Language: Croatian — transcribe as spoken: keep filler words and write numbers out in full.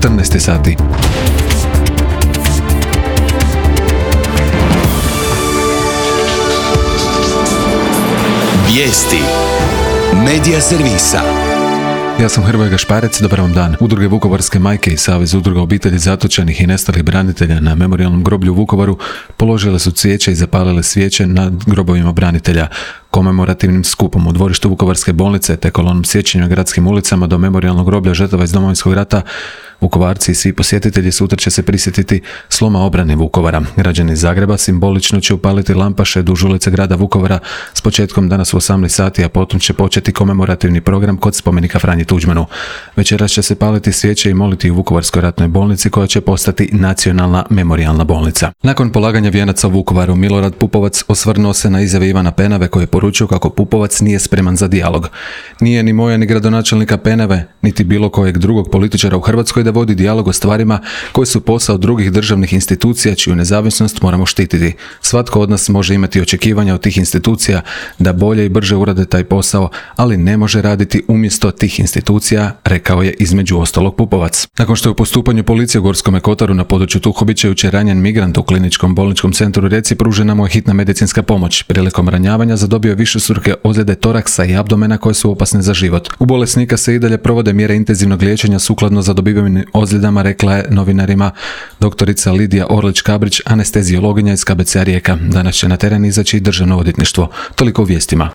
četrnaest sati. Vijesti Medija servisa. Ja sam Hrvoje Gašparec, dobar vam dan. Udruge Vukovarske majke i Savez udruga obitelji zatočenih i nestalih branitelja na memorijalnom groblju u Vukovaru položile su cvijeće i zapalile svijeće nad grobovima branitelja. Komemorativnim skupom u dvorištu Vukovarske bolnice te kolonom sjećanja gradskim ulicama do memorijalnog groblja žrtava iz Domovinskog rata, Vukovarci i svi posjetitelji sutra će se prisjetiti sloma obrane Vukovara. Građani Zagreba simbolično će upaliti lampaše duž ulice grada Vukovara s početkom danas u osamnaest sati, a potom će početi komemorativni program kod spomenika Franji Tuđmanu. Večeras će se paliti svijeće i moliti u Vukovarskoj ratnoj bolnici koja će postati nacionalna memorijalna bolnica. Nakon polaganja vijenaca u Vukovaru, Milorad Pupovac osvrnuo se na izjave Ivana Penave koji je poručio kako Pupovac nije spreman za dijalog. Nije ni moja ni gradonačelnika Penave, niti bilo kojeg drugog političara u Hrvatskoj da vodi dijalog o stvarima koji su posao drugih državnih institucija čiju nezavisnost moramo štititi. Svatko od nas može imati očekivanja od tih institucija da bolje i brže urade taj posao, ali ne može raditi umjesto tih institucija, rekao je između ostalog Pupovac. Nakon što je u postupanju policije u Gorskome kotaru na području Tuhobića jučer ranjen migrant u kliničkom bolničkom centru Rijeci, pružena mu je hitna medicinska pomoć. Prilikom ranjavanja zadobio je višestruke ozljede toraksa i abdomena koje su opasne za život. U bolesnika se i dalje provode mjere intenzivnog liječenja sukladno zadobivenim ozljedama, rekla je novinarima doktorica Lidija Orlić-Kabrić, anesteziologinja iz K B C-a Rijeka. Danas će na teren izaći i državno odvjetništvo. Toliko u vijestima.